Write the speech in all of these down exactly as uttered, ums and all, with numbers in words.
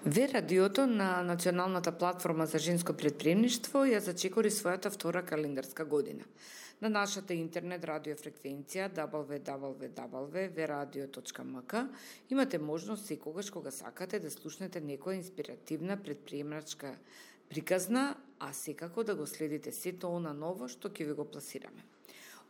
Ве радиото на Националната платформа за женско претприемништво ја зачекори својата втора календарска година. На нашата интернет радиофреквенција дабл ю дабл ю дабл ю точка ве радио точка ем ка имате можност секогаш кога сакате да слушнете некоја инспиративна претприемачка приказна, а секако да го следите сето она ново што ќе ви го пласираме.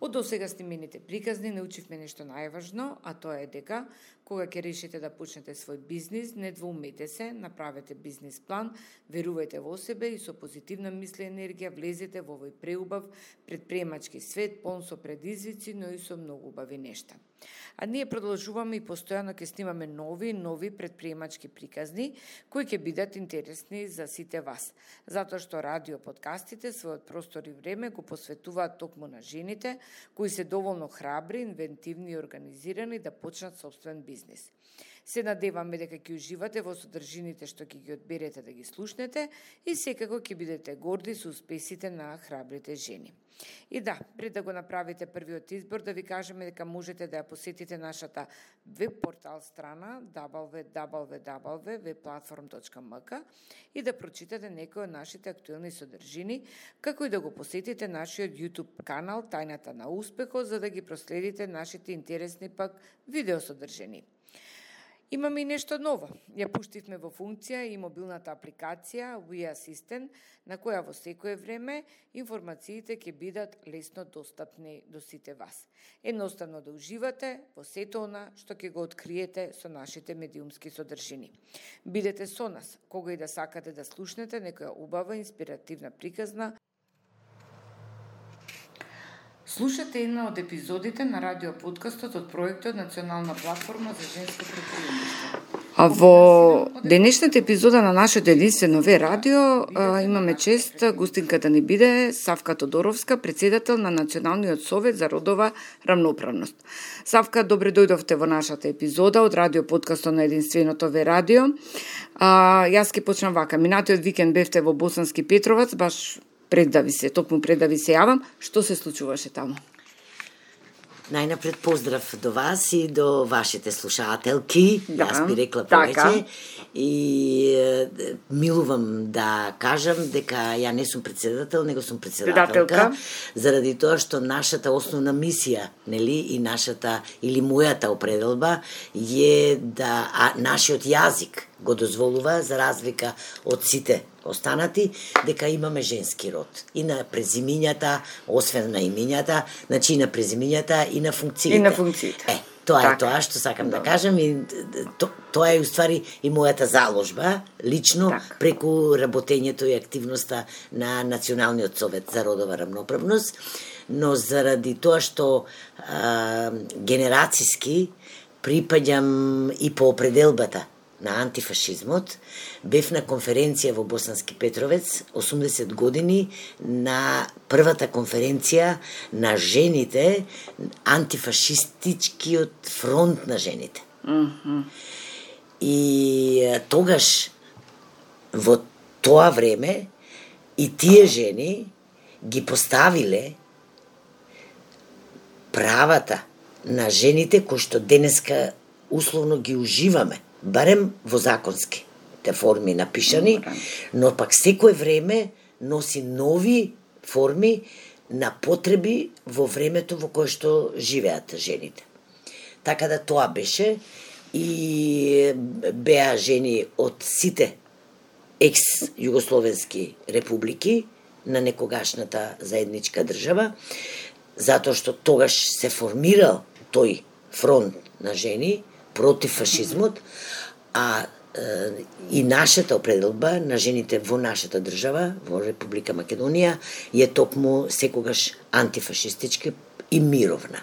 Од досега снимените приказни научивме нешто најважно, а тоа е дека кога ќе решите да почнете свој бизнис, не двоумете се, направете бизнис план, верувајте во себе и со позитивна мисла и енергија влезете во овој преубав претприемачки свет, полн со предизвици, но и со многу убави нешта. А ние продолжуваме и постојано ќе снимаме нови нови претприемачки приказни кои ќе бидат интересни за сите вас, затоа што радио подкастите својот простор и време го посветуваат токму на жените кои се доволно храбри, инвентивни и организирани да почнат собствен бизнис. Се надеваме дека ќе уживате во содржините што ќе ги одберете да ги слушнете и секако ќе бидете горди со успесите на храбрите жени. И да, пред да го направите првиот избор, да ви кажеме дека можете да ја посетите нашата веб портал страна дабл ю дабл ю дабл ю точка ве платформ точка ем ка и да прочитате некои од нашите актуелни содржини, како и да го посетите нашиот YouTube канал Тајната на успехот, за да ги проследите нашите интересни пак видео содржини. Имаме и нешто ново. Ја пуштивме во функција и мобилната апликација We Assistant, на која во секое време информациите ќе бидат лесно достапни до сите вас. Едноставно да уживате во сето она што ќе го откриете со нашите медиумски содржини. Бидете со нас, кога и да сакате да слушнете некоја убава инспиративна приказна. Слушате една од епизодите на радиоподкастот од проектот Национална платформа за женско претприемништво. А во денешната епизода на нашето единствено Ве радио а, имаме чест гостинка да ни биде Савка Тодоровска, председател на Националниот совет за родова рамноправност. Савка, добре дојдовте во нашата епизода од радиоподкастот на единственото Ве радио. А, јас ќе почнам вака. Минатиот викенд бевте во Босански Петровац, баш пред да ви се, токму пред да ви се јавам, што се случуваше таму? Најнапред поздрав до вас и до вашите слушателки, да, јас би рекла така. повеќе. И е, милувам да кажам дека ја не сум председател, него сум председателка, заради тоа што нашата основна мисија, нели, и нашата или мојата определба е да а, нашиот јазик го дозволува, за разлика од сите останати, дека имаме женски род. И на презимињата, освен на имињата, значи и на презимињата и на функциите. И на функциите. Е, тоа так. е тоа што сакам да, да кажам и то, тоа е уствари и мојата заложба, лично, так. преку работењето и активноста на Националниот совет за родова рамноправност, но заради тоа што а, генерацијски припаѓам и по определбата на антифашизмот, бев на конференција во Босански Петровец, осумдесет години, на првата конференција на жените, антифашистичкиот фронт на жените. Mm-hmm. И тогаш, во тоа време, и тие жени ги поставиле правата на жените кои што денеска условно ги уживаме, барем во законски те форми напишани, но пак секое време носи нови форми на потреби во времето во кое што живеат жените. Така да тоа беше и беа жени од сите екс-југословенски републики на некогашната заедничка држава, затоа што тогаш се формирал тој фронт на жени против фашизмот, а е, и нашата определба на жените во нашата држава, во Република Македонија, е токму секогаш антифашистичка и мировна.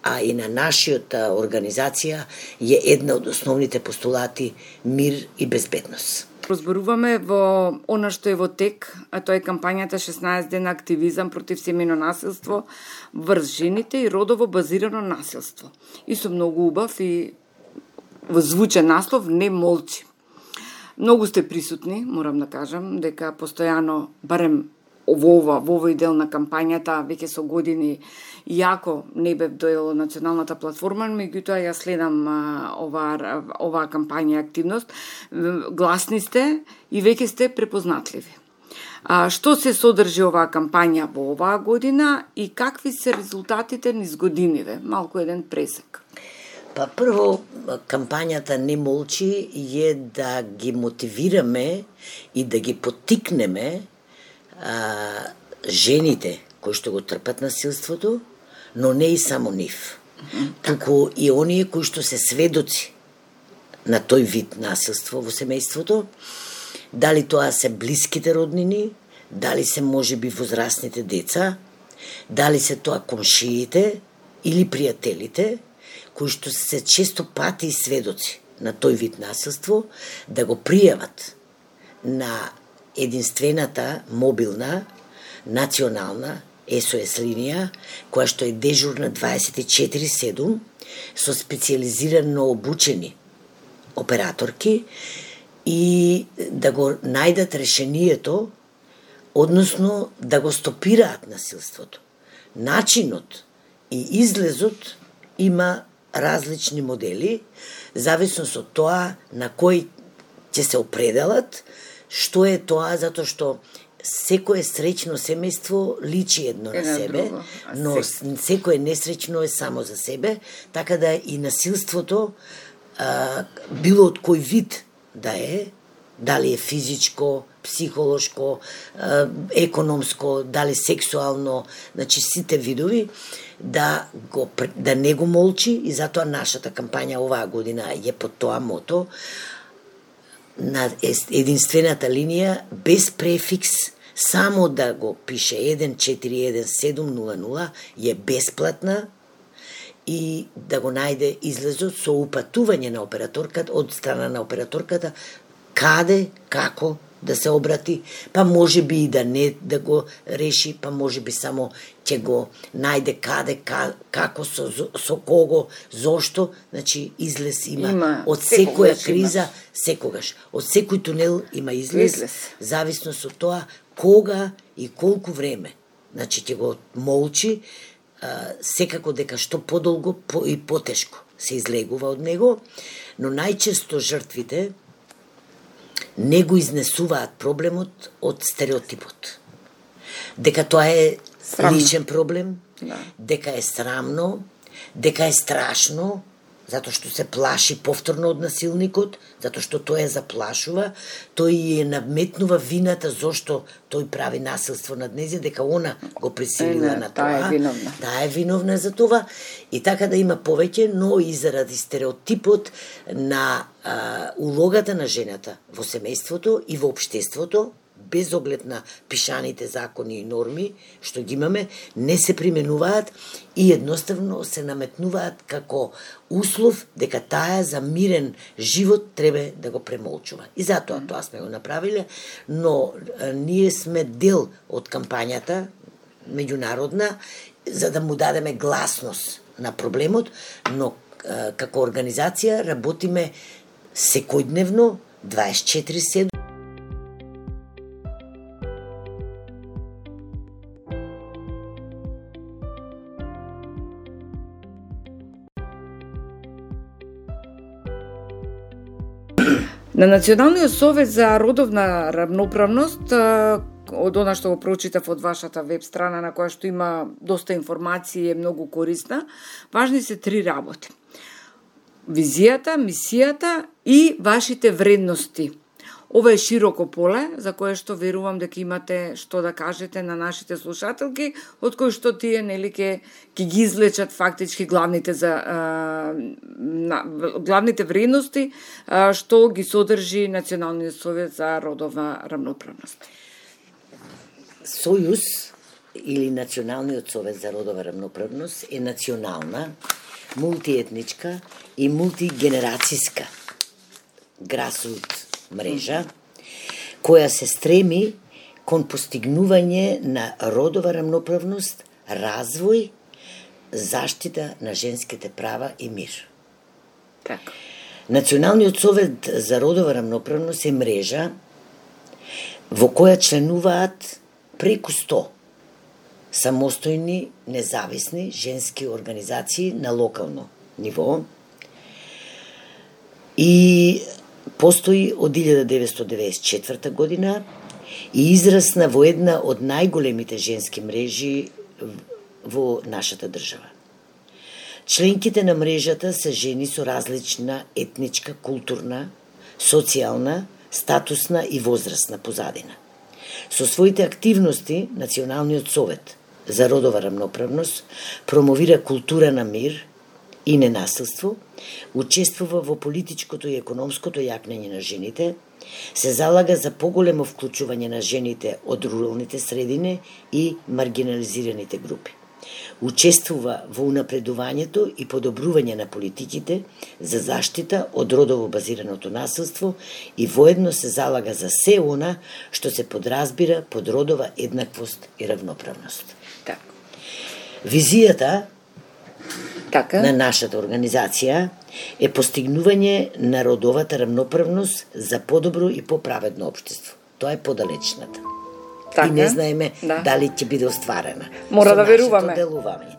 А и на нашиот организација е една од основните постулати мир и безбедност. Разборуваме во она што е во тек, а тоа е кампањата шеснаесет дена активизам против семејно насилство врз жените и родово базирано насилство. И со многу убав и звучен наслов "Не молчи". Многу сте присутни, морам да кажам, дека постојано, барем во, во овој дел на кампањата веќе со години, иако не бев дел од националната платформа, меѓутоа ја следам оваа оваа кампања и активност. Гласни сте и веќе сте препознатливи. А, што се содржи оваа кампања во оваа година и какви се резултатите низ годиниве? Малку еден пресек. Па прво, кампањата Не молчи е да ги мотивираме и да ги поттикнеме а, жените кои што го трпат насилството, но не и само нив. Туку и оние кои што се сведоци на тој вид насилство во семејството, дали тоа се блиските роднини, дали се можеби возрастните деца, дали се тоа комшиите или пријателите, кои што се често пати и сведоци на тој вид насилство, да го пријават на единствената мобилна национална Ес О Ес линија, која што е дежурна дваесет и четири седум со специјализирано обучени операторки и да го најдат решението, односно да го стопираат насилството. Начинот и излезот има различни модели, зависно со тоа на кој ќе се определат, што е тоа, затоа што секое среќно семејство личи едно на себе, друго, но секое несреќно е само за себе, така да и насилството, а, било од кој вид да е, дали е физичко, психолошко, а, економско, дали сексуално, значи сите видови, да, го, да не го молчи, и затоа нашата кампања оваа година е под тоа мото, на единствената линија, без префикс, само да го пише еден четири еден седум нула нула, е бесплатна и да го најде излезот со упатување на операторката, од страна на операторката, каде, како да се обрати, па може би и да не да го реши, па може би само ќе го најде каде, ка, како, со, со кого, зошто, значи излез има, има од секоја криза, има. Секогаш, од секој тунел има излез, излез, зависно со тоа кога и колку време. Значи ќе го молчи, а, секако дека што подолго по, и потешко се излегува од него, но најчесто жртвите не го изнесуваат проблемот од стереотипот. Дека тоа е срамно. Личен проблем, да. Дека е срамно, дека е страшно, затоа што се плаши повторно од насилникот, затоа што тој е заплашува, тој е наметнува вината зошто тој прави насилство над нејзија, дека она го присилила на тоа. Таа е виновна. Таа е виновна за това, и така да има повеќе, но и заради стереотипот на а, улогата на жената во семејството и во општеството, без оглед на пишаните закони и норми што ги имаме, не се применуваат и едноставно се наметнуваат како услов дека таа за мирен живот треба да го премолчува. И затоа тоа сме го направиле, но а, ние сме дел од кампањата меѓународна за да му дадеме гласност на проблемот, но а, како организација работиме секојдневно дваесет и четири седум. На Националниот совет за родовна равноправност, од она што го прочитав од вашата веб страна на која што има доста информации, е многу корисна, важни се три работи. Визијата, мисијата и вашите вредности. Ова е широко поле за кое што верувам дека имате што да кажете на нашите слушателки, од кои што тие нели ке ќе ги извлечат фактички главните за а, на, главните вредности а, што ги содржи Националниот совет за родовна равноправност. Сојуз или Националниот совет за родова равноправност е национална, мултиетничка и мултигенерацијска грасрут мрежа, која се стреми кон постигнување на родова равноправност, развој, заштита на женските права и мир. Така. Националниот совет за родова равноправност е мрежа во која членуваат преку сто самостојни, независни женски организации на локално ниво и постои од илјада деветстотини деветдесет и четврта година и израсна во една од најголемите женски мрежи во нашата држава. Членките на мрежата се жени со различна етничка, културна, социјална, статусна и возрастна позадина. Со своите активности, Националниот совет за родова рамноправност промовира култура на мир и ненасилство, учествува во политичкото и економското јакнење на жените, се залага за поголемо вклучување на жените од руралните средини и маргинализираните групи. Учествува во унапредувањето и подобрување на политиките за заштита од родово базираното насилство и воедно се залага за се она што се подразбира под родова еднаквост и равноправност. Так. Визијата така на нашата организација е постигнување на родовата рамноправност за подобро и поправедно општество. Тоа е подалечната. Така? И не знаеме да. дали ќе биде остварена. Мора Со да веруваме. нашето делување.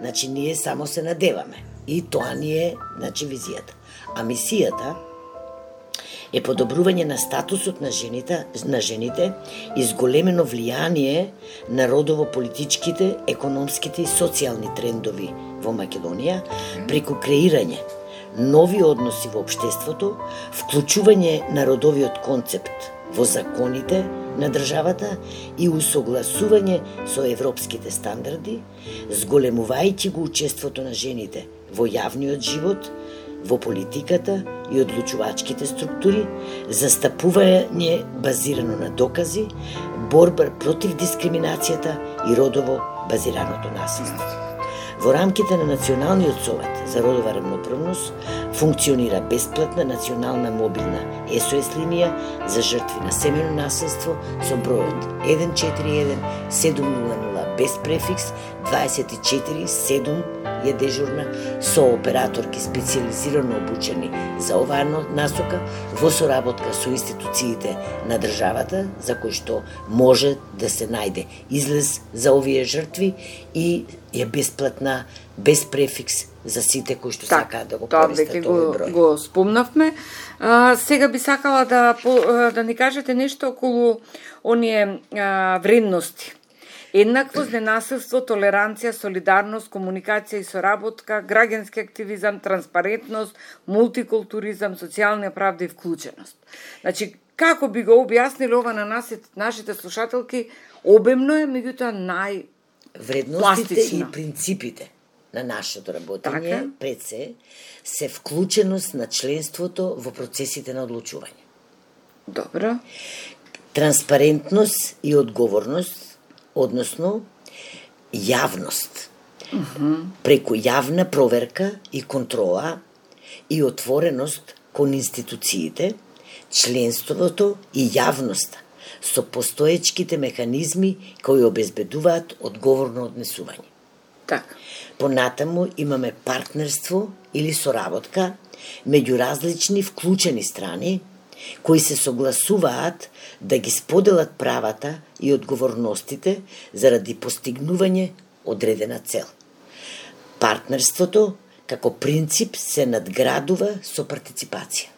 Значи, ние само се надеваме. И тоа ни е, значи, визијата. А мисијата е подобрување на статусот на жените, на жените и зголемено влијание на родово-политичките, економските и социјални трендови во Македонија преку креирање нови односи во општеството, вклучување на родовиот концепт во законите на државата и усогласување со европските стандарди, зголемувајќи го учеството на жените во јавниот живот, во политиката и одлучувачките структури, застапување базирано на докази, борба против дискриминацијата и родово базираното насилство. Во рамките на Националниот совет за родова рамноправност функционира бесплатна национална мобилна ес о ес линија за жртви на семејно насилство со бројот еден четири еден седум нула нула без префикс дваесет и четири седум е дежурна со операторки специјализирано обучени за оваа насока во соработка со институциите на државата за кои што може да се најде излез за овие жртви и е бесплатна, без префикс за сите кои што так, сакаат да го користат овој број. Го спомнавме. А, сега би сакала да да ни кажете нешто околу оние а, вредности. Еднаквост, ненасилство, толеранција, солидарност, комуникација и соработка, граѓански активизам, транспарентност, мултикултуризам, социјална правда и вклученост. Значи, како би го објаснили ова на нас, нашите слушателки, обемно е, меѓутоа нај Вредностите пластично. и принципите на нашето работење Така. пред се се вклученост на членството во процесите на одлучување. Добро. Транспарентност и одговорност, односно јавност. Uh-huh. Преку јавна проверка и контрола и отвореност кон институциите, членството и јавноста со постоечките механизми кои обезбедуваат одговорно однесување. Така. Понатаму имаме партнерство или соработка меѓу различни вклучени страни кои се согласуваат да ги споделат правата и одговорностите заради постигнување одредена цел. Партнерството како принцип се надградува со партиципација.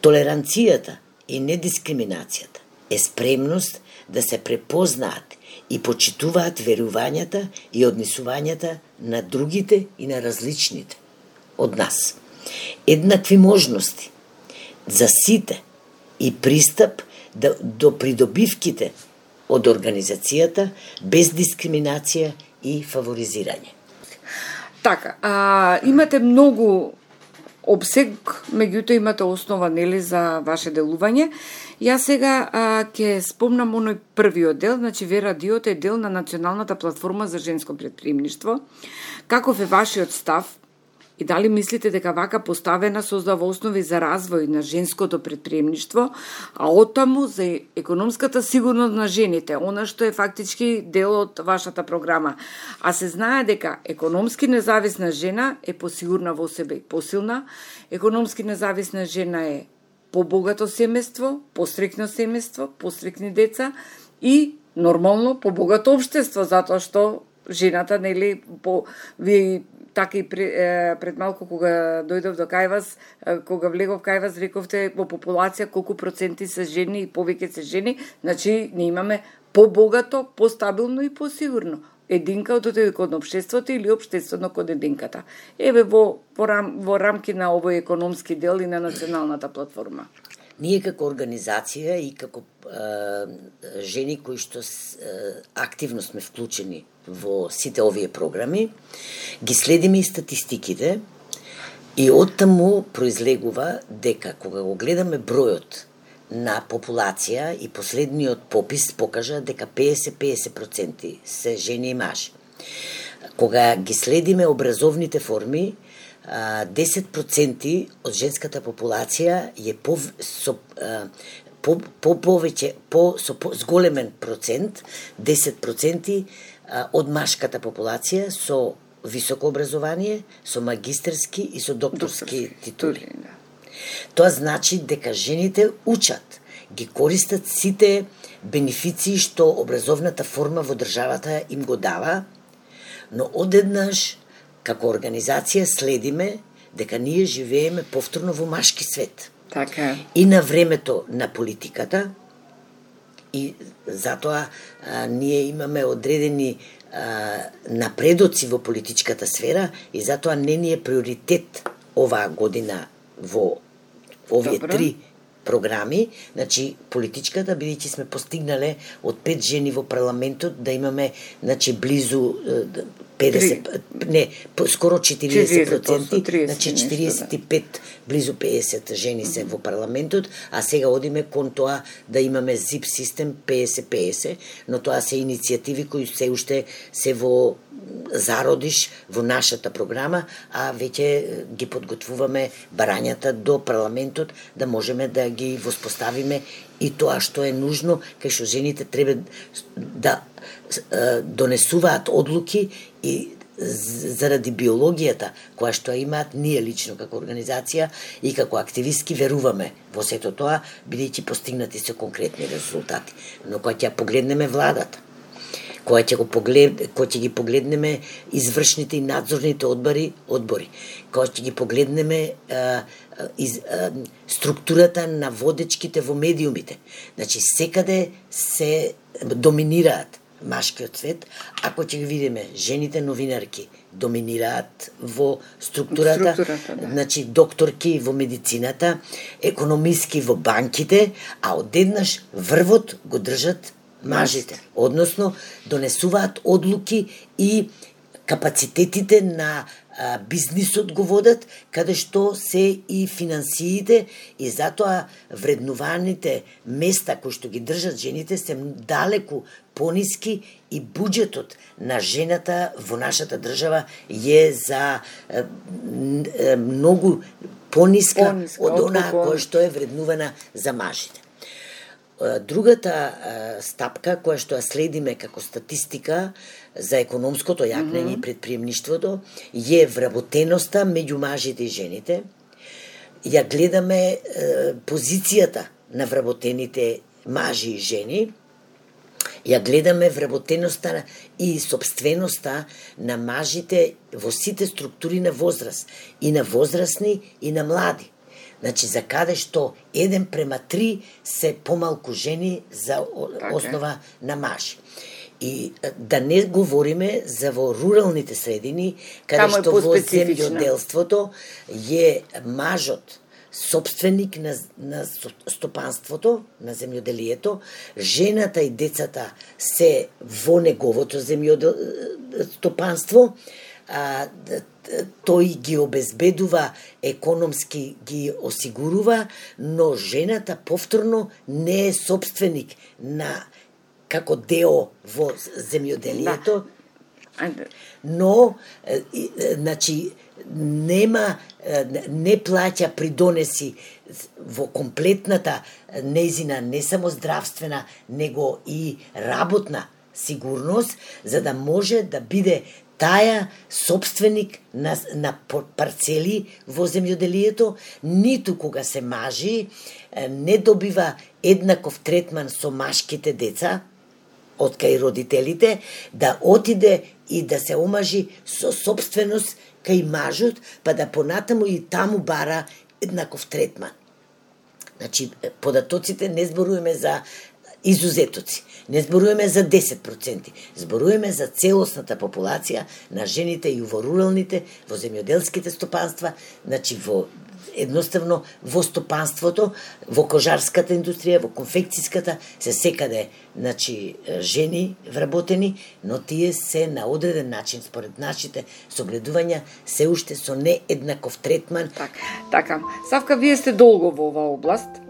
Толеранцијата и недискриминацијата е спремност да се препознаат и почитуваат верувањата и однесувањата на другите и на различните од нас. Еднакви можности за сите и пристап до придобивките од организацијата без дискриминација и фаворизирање. Така, а, имате многу обсег, меѓутоа имате основа, нели, за ваше делување. Јас сега а, ќе спомнам оној првиот дел, значи Верадиото е дел на Националната платформа за женско претпримништво. Каков е вашиот став и дали мислите дека вака поставена создава основи за развој на женското претпримништво, а оттаму за економската сигурност на жените, она што е фактички дел од вашата програма. А се знае дека економски независна жена е посигурна во себе и посилна, економски независна жена е побогато семејство, пострекно семејство, пострекни деца и нормално побогато општество, затоа што жената, нели, по ви така и пред малку кога дојдов до кај вас, кога влегов кај вас, рековте во популација колку проценти се жени и повеќе се жени, значи не имаме побогато, постабилно и посигурно единка од од општеството или општеството код единката. Еве во во, рам, во рамки на овој економски дел и на националната платформа. Ние како организација и како е, жени кои што е, активно сме вклучени во сите овие програми, ги следиме и статистиките и оттаму произлегува дека кога го гледаме бројот на популација и последниот попис покажа дека песет песет проценти се жени и мажи. Кога ги следиме образовните форми, десет проценти од женската популација е по со по по повеќе по со по, зголемен процент, десет проценти од машката популација со високо образование, со магистерски и со докторски, докторски титули. Да. Тоа значи дека жените учат, ги користат сите бенефиции што образовната форма во државата им го дава, но одеднаш како организација следиме дека ние живееме повторно во машки свет. Така. И на времето на политиката, и затоа а, ние имаме одредени а, напредоци во политичката сфера и затоа не ни е приоритет оваа година во овие Добро. три програми, значи политичката, бидејќи сме постигнале од пет жени во парламентот да имаме, значи, близу педесет, не, скоро четириесет проценти, значи четириесет и пет, близу педесет жени се во парламентот, а сега одиме кон тоа да имаме зип систем песет песет, но тоа се иницијативи кои се уште се во зародиш во нашата програма, а веќе ги подготвуваме барањата до парламентот да можеме да ги воспоставиме и тоа што е нужно, кај што жените треба да донесуваат одлуки и заради биологијата која што имаат ние лично како организација и како активистки веруваме во сето тоа, бидејќи постигнати се конкретни резултати. Но кога ќе погледнеме владата, кога ќе го поглед, кога ќе ги погледнеме извршните и надзорните одбори, одбори, кога ќе ги погледнеме а, из, а, структурата на водечките во медиумите, значи секаде се доминираат машкиот свет, ако ќе ги видиме жените новинарки доминираат во структурата, структурата да. Значи докторки во медицината, економиски во банките, а одеднаш врвот го држат мажите, односно донесуваат одлуки и капацитетите на а, бизнисот го водат, каде што се и финансиите и затоа вреднуваните места кои што ги држат жените се далеку пониски и буџетот на жената во нашата држава е за е, е, многу пониска, пониска од онаа која што е вреднувана за мажите. Другата стапка која што ја следиме како статистика за економското јакнење и предприемништвото е вработеноста меѓу мажите и жените. Ја гледаме позицијата на вработените мажи и жени, ја гледаме вработеноста и собственоста на мажите во сите структури на возраст, и на возрастни и на млади. Значи, за каде што еден према три се помалку жени за основа на мажи. И да не говориме за во руралните средини, каде Тамо што во земјоделството е мажот собственик на, на стопанството, на земјоделието, жената и децата се во неговото земјодел... стопанство, а, тој ги обезбедува, економски ги осигурува, но жената повторно не е собственик на како део во земјоделието, но значи нема, не плаќа придонеси во комплетната нејзина не само здравствена, него и работна сигурност, за да може да биде таја собственик на, на парцели во земјоделието, ниту кога се мажи, не добива еднаков третман со машките деца, од кај родителите, да отиде и да се омажи со собственост кај мажот, па да понатаму и таму бара еднаков третман. Значи, податоците не зборуваме за изузетоци, не зборуваме за десет проценти, зборуваме за целосната популација на жените и во руралните, во земјоделските стопанства, значи во едноставно во стопанството, во кожарската индустрија, во конфекцијската, се секаде, значи, жени вработени, но тие се на одреден начин, според нашите согледувања, се уште со нееднаков третман. Так, така. Савка, вие сте долго во оваа област.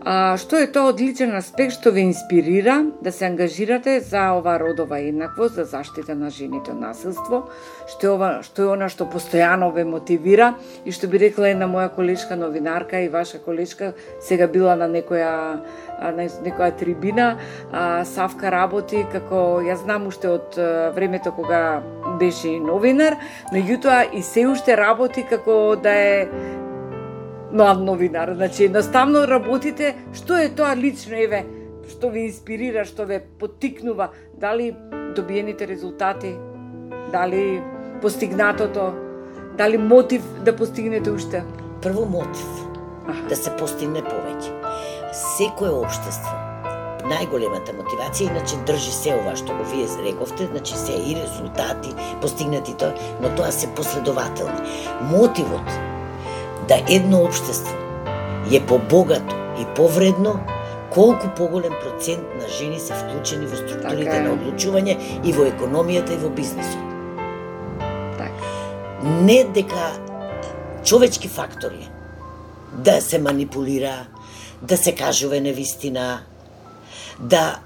А, што е тоа одличен аспект што ве инспирира да се ангажирате за ова родова еднаквост, за заштита на жените од насилство? Што е ова, што е она што постојано ве мотивира и што би рекла една моја колешка новинарка и ваша колешка, сега била на некоја на некоја трибина, а, Савка работи како, ја знам уште од времето кога беше новинар, меѓутоа и се уште работи како да е млад новинар. Значи, едноставно работите, што е тоа лично, еве, што ви инспирира, што ве поттикнува, дали добиените резултати, дали постигнатото, дали мотив да постигнете уште? Прво мотив, Аха. да се постигне повеќе. Секое општество, најголемата мотивација, иначе држи се ова што го вие рековте, значи се и резултати, постигнати тоа, но тоа се последователни. Мотивот да едно општество е побогато и повредно, колку поголем процент на жени се вклучени во структурите така на одлучување и во економијата и во бизнисот. Така. Не дека човечки фактори да се манипулира, да се кажува невистина, да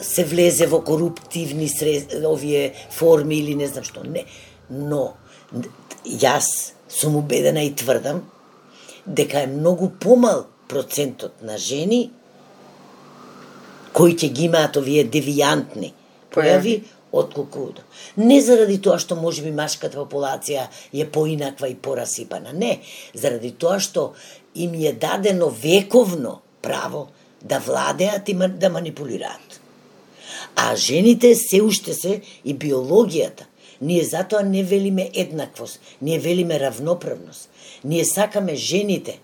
се влезе во коруптивни срез... овие форми или не знам што. Не. Но јас сум убедена и тврдам дека е многу помал процентот на жени кои ќе ги имаат овие девијантни појави отколку. Не заради тоа што можеби машката популација е поинаква и порасипана, не, заради тоа што им е дадено вековно право да владеат и да манипулираат. А жените се уште се и биологијата. Ние затоа не велиме еднаквост, ние велиме равноправност. Ние сакаме жените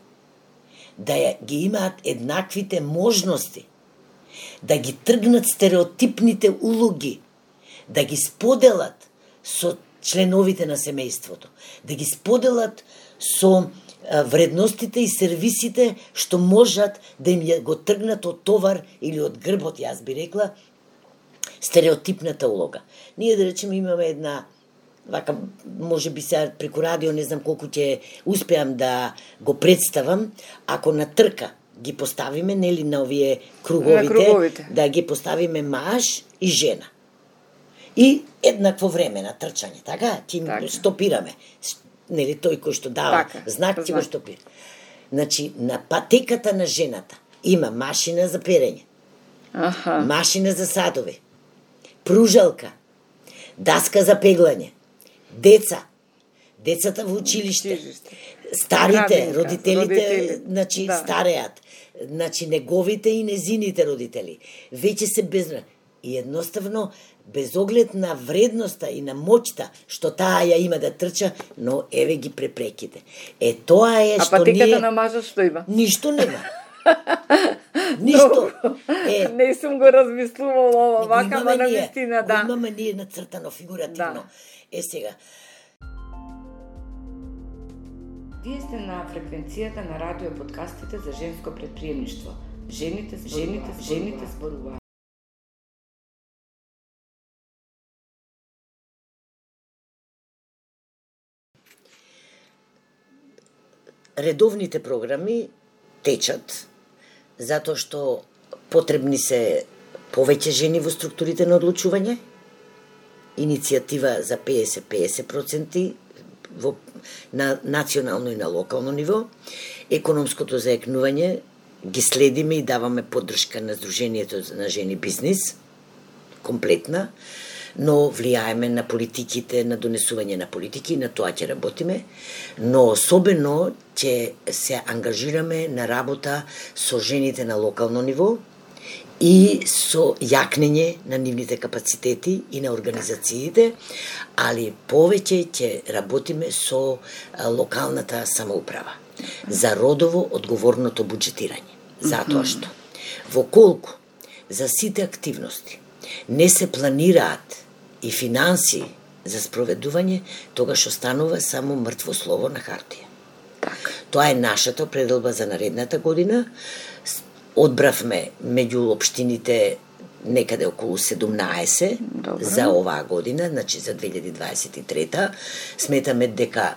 да ја, ги имаат еднаквите можности, да ги тргнат стереотипните улоги, да ги споделат со членовите на семејството, да ги споделат со вредностите и сервисите што можат да им го тргнат од товар или од грбот, јас би рекла, стереотипната улога. Ние, да речеме, имаме една, вака, може би сега преку радио, не знам колку ќе успеам да го представам, ако на трка ги поставиме, нели, на овие круговите, на круговите, да ги поставиме маж и жена. И еднакво време на трчање, така? Ќе така. Стопираме. Нели, тој кој што дава така, знак, ќе го стопира. Значи, на патеката на жената има машина за перење, Аха. машина за садови, пружалка, даска за пеглање, деца, децата во училиште, старите, родителите, родители. Значи, да. Стареат, значи, неговите и незините родители, веќе се безброй. И едноставно, без оглед на вредноста и на моќта, што таа ја има да трча, но еве ги препреките. Е, тоа е а што ние... А патеката на мажот што има? Ништо нема. Ништо. Е, не сум го размислувала вака, ма на вистина, да. Имаме ние нацртано фигуративно. Да. Е, сега. Вие сте на фреквенцијата на радио подкастите за женско предприемништво. Жените, жените, жените зборуваат. Редовните програми течат, затоа што потребни се повеќе жени во структурите на одлучување, иницијатива за петдесет петдесет проценти во, на национално и на локално ниво, економското заекнување ги следиме и даваме поддршка на Сдруженијето на жени бизнис, комплетна, но влијаеме на политиките, на донесување на политики, на тоа ќе работиме, но особено ќе се ангажираме на работа со жените на локално ниво, и со јакнење на нивните капацитети и на организациите, али повеќе ќе работиме со локалната самоуправа за родово одговорното буџетирање. Затоа што во колку за сите активности не се планираат и финанси за спроведување, тогаш останува само мртво слово на хартија. Так. Тоа е нашата пределба за наредната година. Одбравме меѓу општините некаде околу седумнаесет Добре. За оваа година, значи за две илјади дваесет и трета. Сметаме дека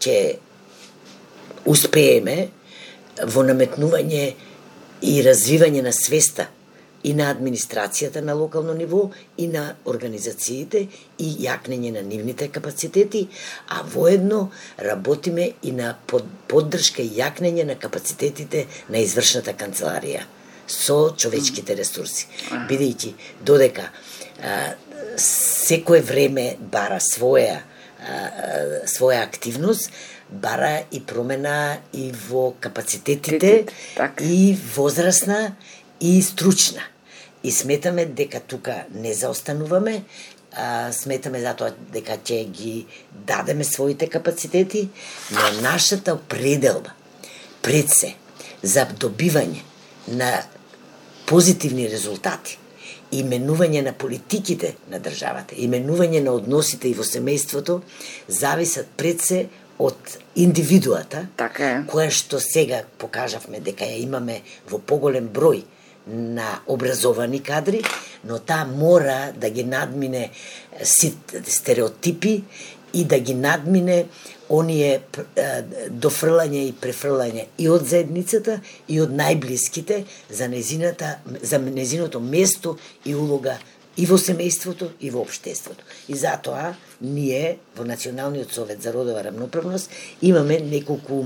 ќе успееме во наметнување и развивање на свеста и на администрацијата на локално ниво, и на организациите, и јакнење на нивните капацитети, а воедно работиме и на поддршка и јакнење на капацитетите на извршната канцеларија со човечките ресурси. Бидејќи додека а, секое време бара своја а, своја активност, бара и промена и во капацитетите, и возрастна, и стручна. И сметаме дека тука не заостануваме, а, сметаме затоа дека ќе ги дадеме своите капацитети, но нашата пределба пред се за добивање на позитивни резултати, именување на политиките на државата, именување на односите и во семејството, зависат пред се од индивидуата, така е, која што сега покажавме дека ја имаме во поголем број на образовани кадри, но таа мора да ги надмине стереотипи и да ги надмине оние дофрлање и префрлање и од заедницата и од најблиските за незината за незиното место и улога и во семејството и во општеството. И затоа ние во Националниот совет за родова рамноправност имаме неколку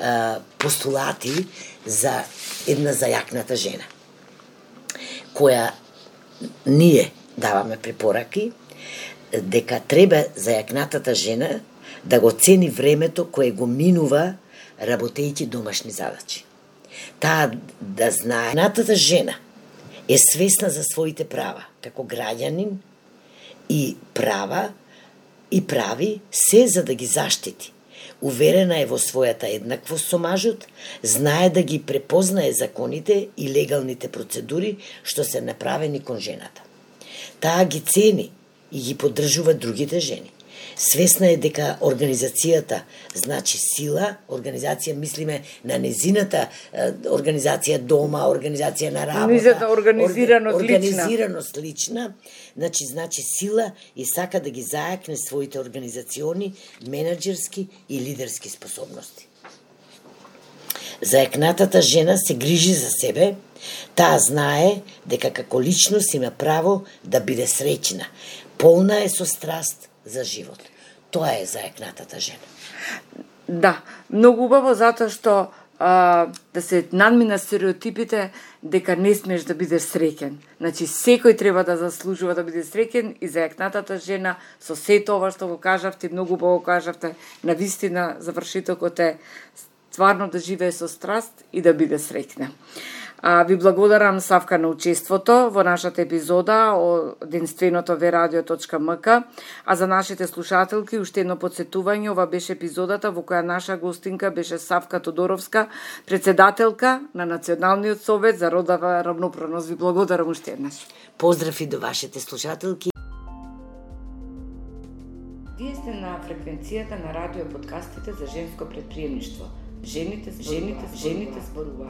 а, постулати за една зајакната жена, која ние даваме препораки дека треба зајакнатата жена да го цени времето кое го минува работејќи домашни задачи. Таа да знае, зајакнатата жена е свесна за своите права како граѓанин и права и прави се за да ги заштити. Уверена е во својата еднаквост со мажот, знае да ги препознае законите и легалните процедури што се направени кон жената. Таа ги цени и ги поддржува другите жени. Свесна е дека организацијата значи сила, организација мислиме на незината организација дома, организација на работа, незината организираност, организираност лична, значи значи сила и сака да ги зајакне своите организациони, менаџерски и лидерски способности. Зајакнатата жена се грижи за себе, таа знае дека како личност има право да биде среќна, полна е со страст за живот. Тоа е зајакнатата жена. Да, многу убаво затоа што а, да се надмина стереотипите дека не смеш да бидеш среќен. Значи секој треба да заслужува да биде среќен и зајакнатата жена со сето ова што го кажавте, многу убаво кажавте, на вистина завршитокот е стварно да живее со страст и да биде среќна. А, ви благодарам, Савка, на учеството во нашата епизода од единственото верадио точка ем ка, а за нашите слушателки уште едно подсетување, ова беше епизодата во која наша гостинка беше Савка Тодоровска, председателка на Националниот совет за родова рамноправност. Ви благодарам уште еднаш. Поздрав и до вашите слушателки. Вие сте на фреквенцијата на радио подкастите за женско предприемништво. Жените, жените, жените зборуваат.